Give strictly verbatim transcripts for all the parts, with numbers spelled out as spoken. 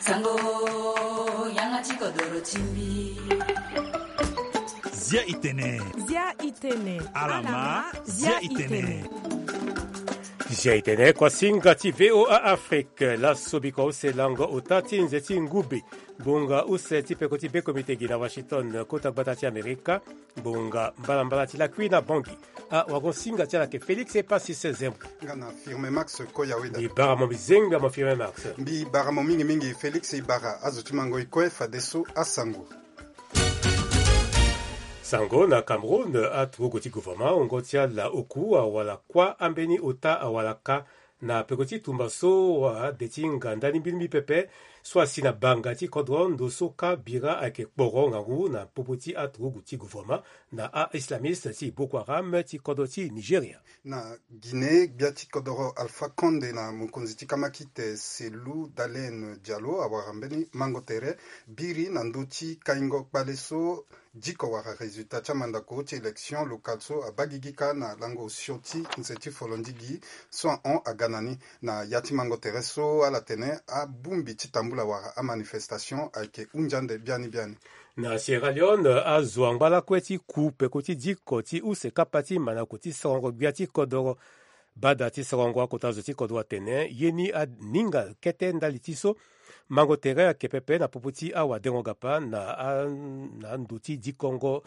Sango, yanga ti kodoro ti mbi. Zia itene. Zia itene. Alama, zia itene. Zia itene, kuasinga ti V O A Afrique. Laso biko use lango ota ti nze ti ngube. Bonga use ti peko ti be komite gi na Washington, kota gbata ti Amerika. Bonga mbalambala ti lakui na Bangui. Awagosinga ti ala ke Félix Epasis Zembo. Nga na Firme Max Koyaweda. Mbi bara mo mbi zengbi amo Firme Max. Mbi bara mo mingi mingi Félix, e bara azo ti mango e kue fadeso asango. Sango na Cameroun, aturugu ti gouvernement wungo ti ala oku awala kuâ ambeni ota awalaka na peko ti tumba so wa de ti nga ndani mbili mbi pepe so asi na banga ti kodro ndo so ka bira ayeke kporo ngangu na popo ti aturugu ti gouvernement na a-islamiste ti Boko Haram ti kodro ti Nigeria. Na Guinée, gbia ti kodoro Alpha Condé na mokonzi ti kamakite Cellou Dalein Diallo awara mbeni mango tere biri na ndö ti kaingo kpale so diko wala résultat ti amandako ti élection locale so abaa gigi kâ na lango osio ti nze ti folondigi so ahon aga na ni. Na ya ti mango tere so ala tene abongbi ti tambula wala amanifestation ayeke hunzi ande biani biani. Na Sierra Leone, azo angba lakue ti ku peko ti diko ti use kapa ti mandako ti sarango gbia ti kodoro. Bada ti sarango akota zo ti kodro atene ye ni aninga kete ndali ti so mango tere ayeke pepe na popo ti awadengo gapa na a- na ndo ti dikongo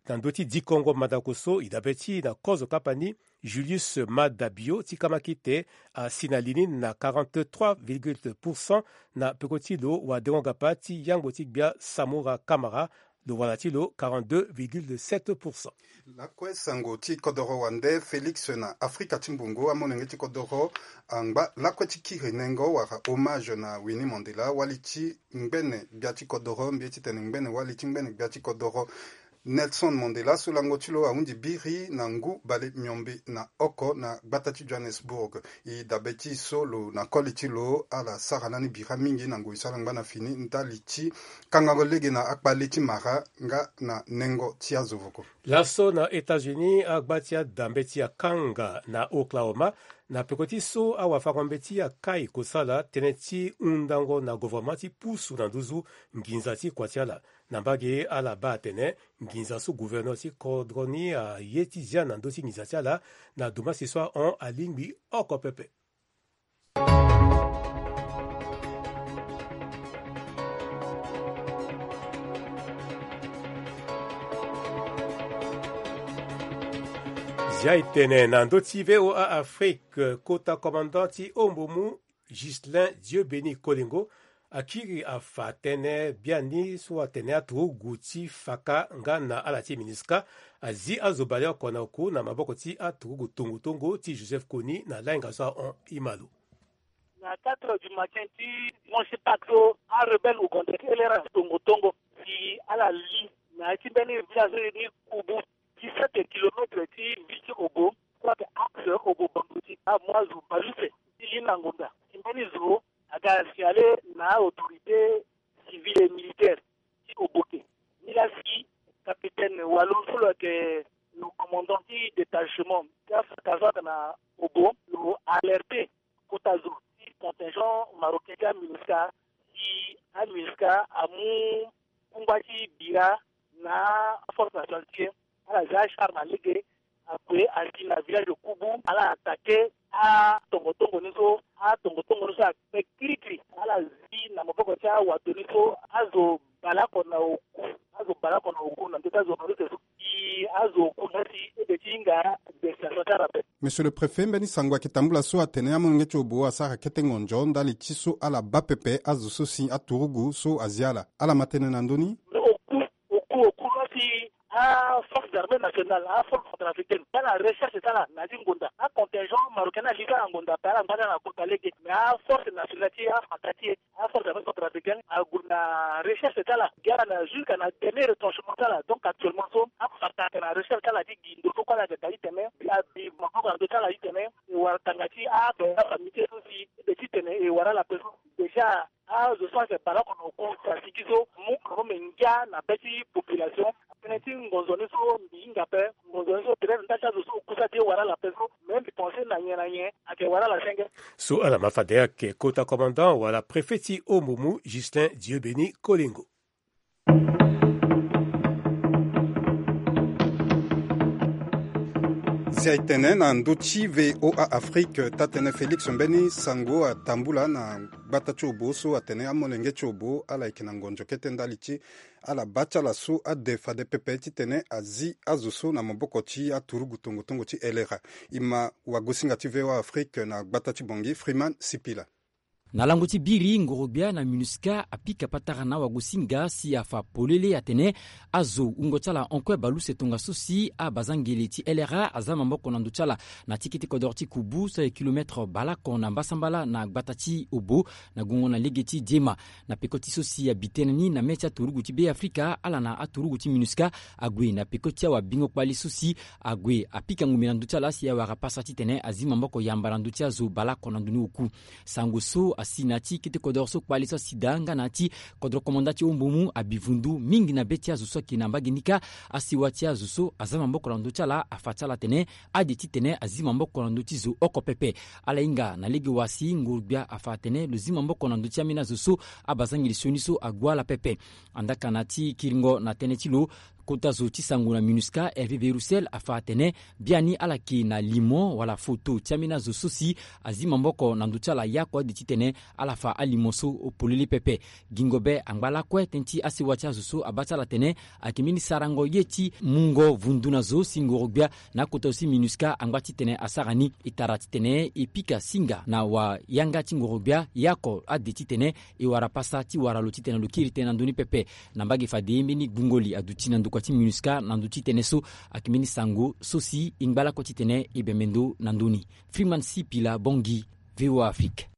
na ndo ti dikongo mandako so e dabe ti e na kozo kapa ni. Julius Maada Bio ti kamakite asi na li ni na quarante-trois virgule pour cent na peko ti lo wadengo gapa ti yangbo ti gbia Samora Kamara. Lo wala ti lo quarante-deux virgule sept pour cent. Lakue sango ti kodoro wande Félix na Afrika ti mbongo amolenge ti kodoro angba lakue ti kiri nengo wala hommage na Winnie Mandela wali ti ngbene gbia ti kodoro mbi ye titene ngbene wali ti ngbene gbia ti kodoro Nelson Mandela so lango ti lo ahunzi biri na ngu bale miombe na oko na gbata ti Johannesburg. E dabe ti so lo na koli ti lo ala sara lani bira mingi na ngoi so ala ngba na fini ndali ti kangango lege na akpale ti mara nga na nengo ti azo voko. Laso na États-Unis agba ti adambe ti akanga na Oklahoma na peko ti so awafango-mbeti akai kosala tënë ti hundango na governement ti pusu na nduzu nginza ti kua ti ala. Na mbage ala baa atene nginza so gouverneur ti kodro ni aye ti zia na ndö ti nginza ti ala na domasi so ahon alingbi oko pepe. Zia e tene na ndö ti V O A Afrique, kota commandant ti Ombomu Ghislain Dieubéni Kolengo akiri afa tënë biani so atene aturugu ti faka nga na ala ti MINUSCA azi azo baleoko na oku na maboko ti aturugu tongo tongo ti Joseph Kony na lainga so ahon. Imalo. Na quatre heures du matin ti dimanche Pâques so arebelle ougandais ti L R A tongo tongo si ala li na ya ti mbeni village ni Kubu, dix-sept kilomètres ti ville ti Obo, soit axe Obo Bango ti amu azo baleuse ti li na ngonda. Si mbeni zo aga signalé na autorité civile et militaire ti Obo ke ni la si capitaine walo so lo yeke lo commandant ti détachement ti afaka so ayeke na Obo lo alerté kota zo ti contingent marocain ti aMINUSCA si aMINUSCA amu kungba ti bira na aforce nationale ti e. Ala za achar na lege akue asi na village de Kubu, ala attaqué atongotongo ni so atongotongo ni so akpe kirikiri. Ala zi na maboko ti awato ni so azo baleoko na oku, azo baleoko na oku na ndö ti azo na ndö ti so. Azo oku na si ebe ti hinga destination ti ala ape. Monsieur le préfet, mbeni sango ayeke tambula so atene amolenge ti Obo asara kete ngonzo ndali ti so ala baa pepe azo so si aturugu so azi ala. Ala ma tënë na ndö ni. Oku, oku, oku na si aforce d'armée nationale, aforce centrafricaine ala recherche ti ala na ya ti ngonda. Acontingent marocain ni ali ti ala na ngonda ape, ala ngba ti ala na kota lege. Mais aforce nationale ti afaka ti e, aforce d'armée centrafricaine ague na recherche ti ala gi ala na jusqu'à na dernier retranchement ti ala. Donc actuellement so afaka ayeke na recherche ti ala ti gi ndo so kue ala yeke daa titene abi maboko na ndö ti ala titene e wara tanga ti abe afamille ti e so si ebe titene e wara ala ape so. Déjà azo so ayeke baleoko na oku si asigi so mu kangombe ngia na be ti population. Tënë ti ngonzo ni so mbi hinga ape, ngonzo ni so peut-être ndali ti azo so oku so adi e wara ala ape so. Mais mbi pensé Na nyen na nyen ake wala la senge. So ala ma fade ake kota commandant wala préfet ti Ombumu, Justin Dieubeni Kolengo. Si aye tene na ndö ti V O A Afrique, taa-tënë Félix Mbeni Sango atambula na gbata ti Obo so atene amolenge ti Obo ala yeke na ngonzo kete ndali ti ala baa ti ala so ade fade pepe titene azi azo so na maboko ti aturugu tongo tongo ti L R A. E ma wagosinga ti V O A Afrique na gbata ti Bangui, Freeman Sipila. Na lango ti biri, ngorogbia na MINUSCA apika patara na wagosinga si afa polele atene azo wungo ti ala hon kue baleuse tongaso si abazangele ti L R A aza maboko na ndö ti ala na ti kete kodoro ti Kubu so aye kilomètre baleoko na mbasambala na gbata ti Obo, na gongo na lege ti Diema. Na peko ti so si abi tënë ni na mê ti aturugu ti Beafrika, ala na aturugu ti MINUSCA ague na peko ti awabingo kpali so si ague apika ngumbe na ndö ti ala si awara pasa titene azi maboko yamba na ndö ti azo baleoko na ndo ni oku. Sango so asi na ya ti kete kodoro so kpali so asi daa nga na ya ti kodoro komanda ti Ombumu abi vundu mingi na be ti azo so ayeke na mbage ni kâ. Asewa ti azo so aza maboko na ndö ti ala afa ti ala atene ade titene azi maboko na ndö ti zo oko pepe. Ala hinga na lege wa si ngorogbia afa atene lo zi maboko na ndö ti ambeni azo so abazangeli sioni so ague ala pepe. Andaa ka na ya ti kiringo na tënë ti lo, kota zo ti sango na MINUSCA, Hervé Véroussel, afa atene biani ala yeke na limo wala foto ti ambeni azo so si azi maboko na ndö ti ala ya oko ade titene ala fa alimo so polele pepe. Gingo be angba lakue tënë ti asewa ti azo so abaa ti ala atene ayeke mbeni sarango ye ti mungo vundu na zo si ngorogbia na akota zo ti MINUSCA angba titene asara ni. E tara titene e pika singa na wayanga ti ngorogbia ya oko ade titene e wara pasa ti wara lo titene lo kiri tënë na ndö ni pepe. Na mbage fade mbeni gbungo li aduti na ndokua ti MINUSCA na ndö ti tënë so. Ayeke mbeni sango so si e ngba lakue titene e bembe ndo na ndö ni. Freeman Sipila, Bangui, V O A Afrique.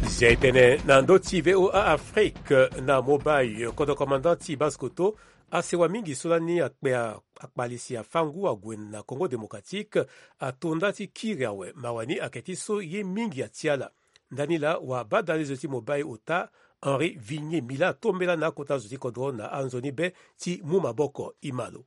Zia e tene na ndö ti V O A Afrique na Mobaye, kodro commandant ti Basse-Kotto asewa mingi so lani akpe a, akpali si afa ngu ague na Congo Démocratique, ato nda ti kiri awe. Mawa ni ayeke ti so ye mingi atia ala. Ndani laa wabadalezo ti Mobaye ota, Henri Vigné Mila, atombela na akota zo ti kodro na anzoni be ti mu maboko. E ma lo.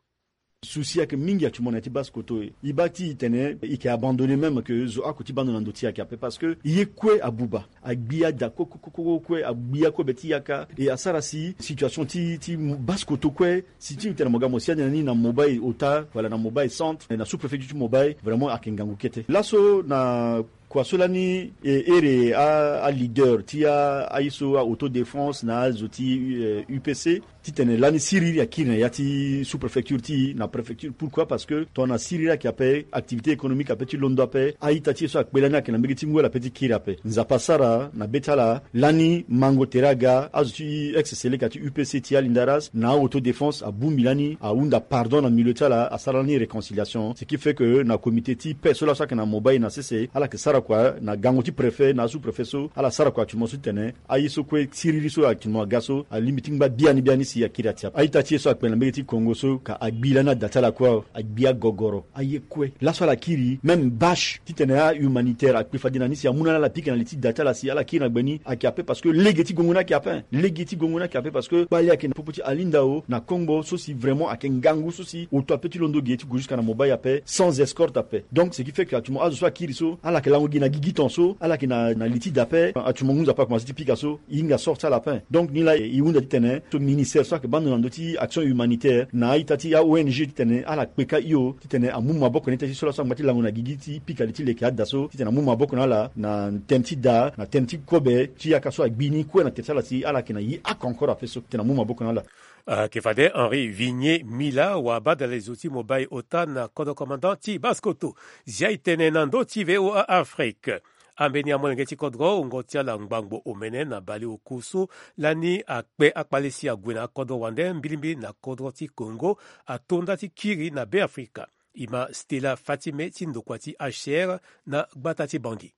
Souci ayeke mingi actuellement na ya ti Basse-Kotto. E baa ti e tene e yeke abandonné même que zo oko ti baa ndo na ndö ti e ayeke ape parce que e ye kue abuba, agbi ada ko- ko- ko- ko- kue, agbi akobe ti yaka. E asara si situation ti, ti Basse-Kotto kue, si ti e tene mo ga mo sia ni na Mobaye ota wala na Mobaye centre, na sous-préfecture ti Mobaye, vraiment ayeke ngangu kete. Laso na kua so lani, e, ere a, aleader ti a, aye so a-autodéfense na azo ti, euh, U P C, titene lani siriri akiri na ya ti sous-préfecture ti e na préfecture. Pourquoi? Parce que tongana siriri ayeke ape, activité économique ape ti londo ape, a-ita ti e so akpe lani ayeke na mbege ti ngu ala pe ti kiri ape. Nzapa asara na be ti ala, lani mango tere aga, azo ti ex-seleka ti U P C ti Alindaras na a-autodéfense abongbi lani, ahunda pardon na milieu ti ala, asara lani réconciliation. Ce qui fait que na comité ti paix so laso ayeke na Mobaye na sese, ala yeke sara kua na gango ti préfet na sous-préfet so, ala sara kua actuellement so titene aye so kue siriri so actuellement aga so alingbi ti ngba biani biani si akiri atia. A-ita ti e so akpe na mbege ti Congo so ka agbi lani ada ti ala kue, agbi agogoro. Aye kue laso ala kiri, même bâche titene a-humanitaire akpe fade na ni si amu na ala, ala pika na li ti da ti ala si ala kiri na gbe ni, ayeke ape parce que lege ti gongo ni ayeke ape. Lege ti gongo ni ayeke ape parce que kpali ayeke na popo ti Alindao na Kongbo so si vraiment ayeke ngangu so si oto ape ti londo ge ti gue jusqu'à na Mobaye ape sans escorte ape. Donc ce qui fait que actuellement azo so akiri so, ala yeke lango gi na gigi ton so, ala yeke na, na li ti da ape. Actuellement ngu Nzapa akomanse ti pika so, e hinga sort ti ala ape. Donc ni laa e hunda titene so ministère so ayeke baa ndo na ndö ti action humanitaire na a-ita ti a-O N G titene ala kpeka hio titene amu maboko na ita ti so laso angba ti lango na gigi ti pika li ti leke ada so titene amu maboko na ala na tënë ti da, na tënë ti kobe ti yaka so agbi ni kue na tere ti ala si ala yeke na ye oko encore ape so titene amu maboko na ala. Ayeke fade Henri Vigné Mila, wabadalezo ti Mobaye ota na kodro commandant ti Basse-Kotto. Zia e tene na ndö ti V O A Afrique. Ambeni amolenge ti kodro wungo ti ala ngbangbo omene na baleoku so lani akpe akpale si ague na akodro wande mbilimbili na kodro ti Congo ato nda ti kiri na Beafrika. E ma Stella Fatime ti ndokua ti H C R na gbata ti Bangui.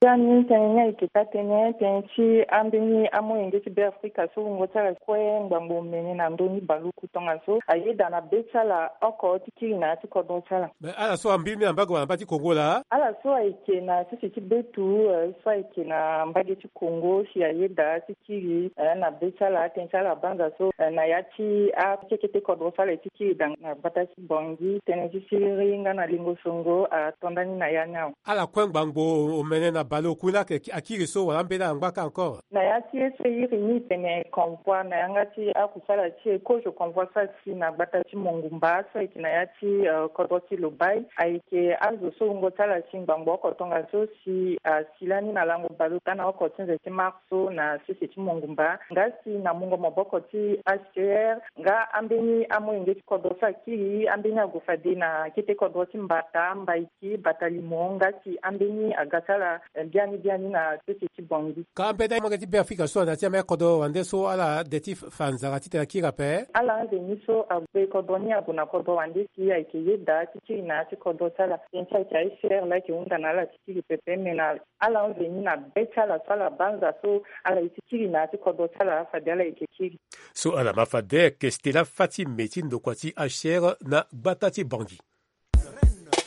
Biani tënë ni ayeke taa-tënë tënë ti ambeni amolenge ti Beafrika so wungo ti ala kue ngbangbo omene na ndö ni baleoku tongaso ayeda na be ti ala oko ti kiri na ya ti kodro ti ala. Me ala so ambeni na mbage wala na mbage ti Kongo laa? Ala so ayeke na sese ti betu, eh, so ayeke na mbage ti Kongo si ayeda ti kiri, eh, na be ti ala, atënë ti ala banza so, eh, na ya ti akekete kodro ti ala e ti kiri dang na gbata ti Bangui, tënë ti siriri nga na lingo songo ato ndani na ya ni awe. Ala kue ngbangbo omene na baleoku ni laa ayeke akiri so wala ambeni ala ngba kâ encore? Na ya ti ye so e iri ni tene convoi na yanga ti akusala ti e, kozo convoi so asi na gbata ti Mongumba so ayeke na ya ti, eh, kodro ti Lobaye, ayeke azo so wungo ti ala si ngbangbo oko tongaso si asi lani na lango baleota na oko ti nze ti mars so na sese ti Mongumba. Nga si na mungo maboko ti H C R, nga ambeni amolenge ti kodro so akiri, ambeni ague fade na kete kodro ti Mbata, Mbaiki, Batalimo, nga si ambeni aga ti ala, eh, biani biani na sese ti Bangui. Ka ambeni amolenge ti Beafrika so ana ti amai kodro wande so ala de ti fa nzara titene akiri ape? Ala anze ni so ague kodro ni ague na kodro wande si ayeke yeda ti kiri na ya ti kodro ti ala. Tënë ti ayeke H C R laa ayeke hunda na ala ti kiri pepe, me na ala anze ni na be ti ala so ala banza so ala ye ti kiri na ya ti kodro ti ala fade ala yeke kiri. So ala ma fade ayeke Stella Fati Me ti ndokua ti H C R na gbata ti Bangui.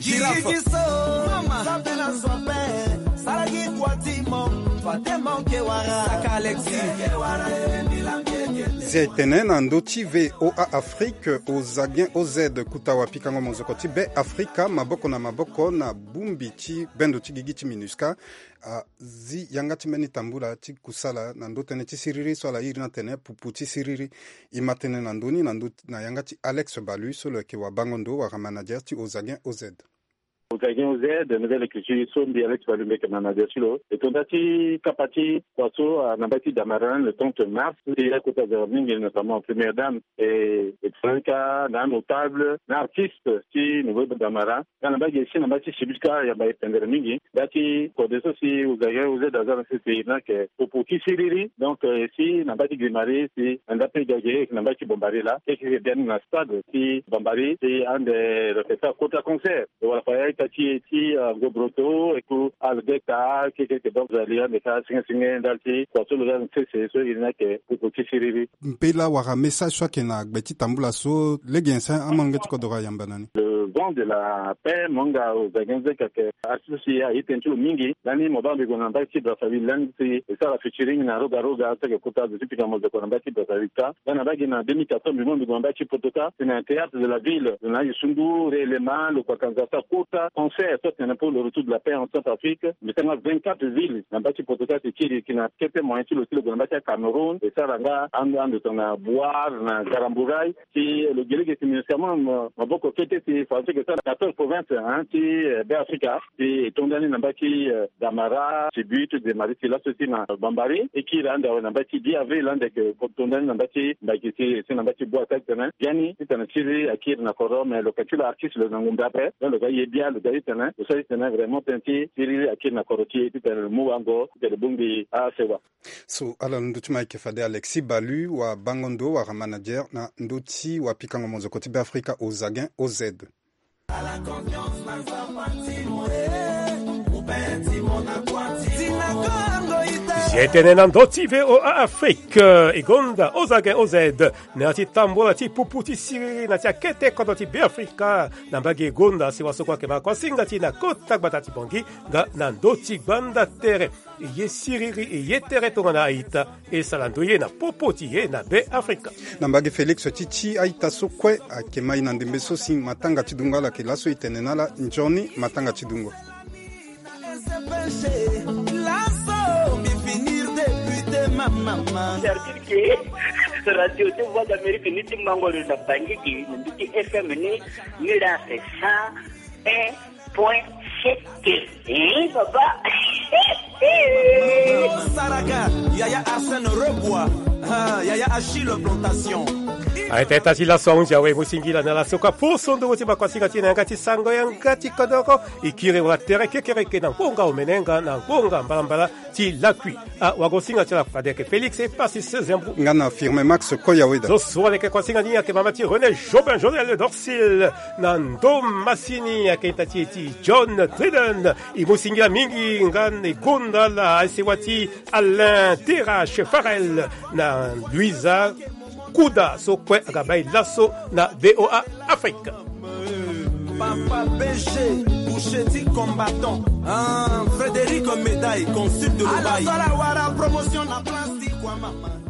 Girafe. Mama. Saka Alexis. Zia e tene na ndö ti V O A Afrique, Ozagen O Z, kuta wapikango mozoko ti Be Afrika, maboko na maboko na bongbi ti bendo ti gigi ti MINUSCA, azi yanga ti mbeni tambula ti kusala na ndö tënë ti siriri so ala iri ni atene pupu ti siriri. E ma tene na ndö ni na ndö, na yanga ti Alex Balu so lo yeke wabango ndo wala manager ti Ozagen O Z. Ozagen O Z, nouvelle écriture so mbi Alex Balu mbi yeke manager ti lo. E tonda ti kapa ti kua so, ah, na mbage ti Damara le trente mars, ti akota zero mingi, notamment première dame, e, e tonda ti ka na anotable, na artiste ti nouveau Damara. Nga na mbage si na mbage ti Sibika yamba e pendere mingi. Nda ti kode so si Ozagen O Z aza na sese e iri ni ayeke popo ti siriri. Donc, eh, si na mbage ti Grimari, si na ndape ga ge, na mbage ti Bombari laa, keke biani na stade ti Bombari, si ande lo yeke sara kota concert. Wala fa ya ita ti e ti, ah, Ngobroto, eku Algeta, keke yeke donc ali ande ka senge senge ndali ti kua so lo za na sese so e iri ni ayeke popo ti siriri. Mpela wala message so ayeke na gbe ti tambula so lege nyen si amolenge ti kodro ayamba na ni? Le vent de la paix, mo nga Ozagen O Z ayeke artiste so si aye tënë ti lo mingi. Lani mo baa mbi gue na mbage ti Brazzaville lani si e sara featuring na Roga Roga so ayeke kota zo ti pika mozoko na mbage ti Brazzaville kâ. Lani na mbage na deux mille quatorze mbi mo mbi gue na mbage ti Poto kâ, si na théâtre de la ville, lo na aye sundu réellement, lo kua kanza sara kota concert so atene pour le retour de la paix en Centrafrique. Mbi sara nga vingt-quatre villes na mbage ti Poto kâ, si kiri yeke na kete moyen ti lo si lo gue na mbage ti Cameroun, e sara nga ando ando tongana Bouar na Garambouray. Si lo gi lege si MINUSCA mo, mo, maboko kete si faransi yeke sara quatorze provinces, hein, ti, eh, Be Afrika. Si e tonda ni na mbage ti, eh, Damara, Sibuit, Grimari, si laso si na Bambari. E kiri ande awe na mbage ti dix avril ande yeke tonda ni na mbage ti Mbaiki si, si na mbage ti Bouar titene biani titene siriri akiri na kodro, mais lo yeke ti lo artiste lo na ngumbe ape. Donc lo ga ye bia, lo ga titene, lo sara titene vraiment tënë ti siriri akiri na kodro ti e titene lo mu wango titene lo bongbi asewa. So ala londo ti mo ayeke fade Alexis Balu, wabango ndo wala manager na ndö ti wapikango mozoko ti Be Afrika Ozagen O Z. Zia e tene na ndö ti V O A Afrique, e gonda Ozagen O Z na ya ti tambula ti pupu ti siriri na ya ti akete kodro ti Be Afrika na mbage gonda, si wasoko ayeke ma kuasinga ti e na kota gbata ti Bangui nga na ndö ti gbanda tere. E ye siriri, e ye tere tongana a-ita, e sara ndoye na popo ti e na Be Afrika. Na mbage Félix ti ti a-ita so kue ayeke ma e na ndembe so si matanga ti dungo ala yeke laso, e tene na ala nzoni matanga ti dungo. Laso mbi finir député, ma, ma, ma. C'est-à-dire que radio ti Voix d'Amérique ni ti mango lo na Bangui gi, na ndö ti F M ni, ni la c'est cent un point sept. Eh, papa. Saraka, Yaya Arsène Rebois, ah, Yaya Achille Plantation. Aita ita ti laso ahunzi awe mo singila na laso ka poso ndongo ti bakuasinga ti na yanga ti sango yanga ti kodoro. E kiri wala tere kekereke na ngonga omene nga na ngonga mbalambala ti lakui. Awagosinga ti ala fade ayeke Félix e pasi seizième. Nga na firme max koya weda. Zo so aleke kuasinga ni ayeke mama ti René Jobin Jonel Dorsil. Na ndo masini ayeke ita ti e ti John Tridon. E mo singila mingi nga na e gonda ala asewa ti Alain Terrache Farel na Louisa Kuda so kue aga bai laso na VOA Afrique. Papa B G, boucher ti combattant. Ah, Frédéric Médaille, consul de Dubaï. Ala sala wara promotion na place ti Kwamama.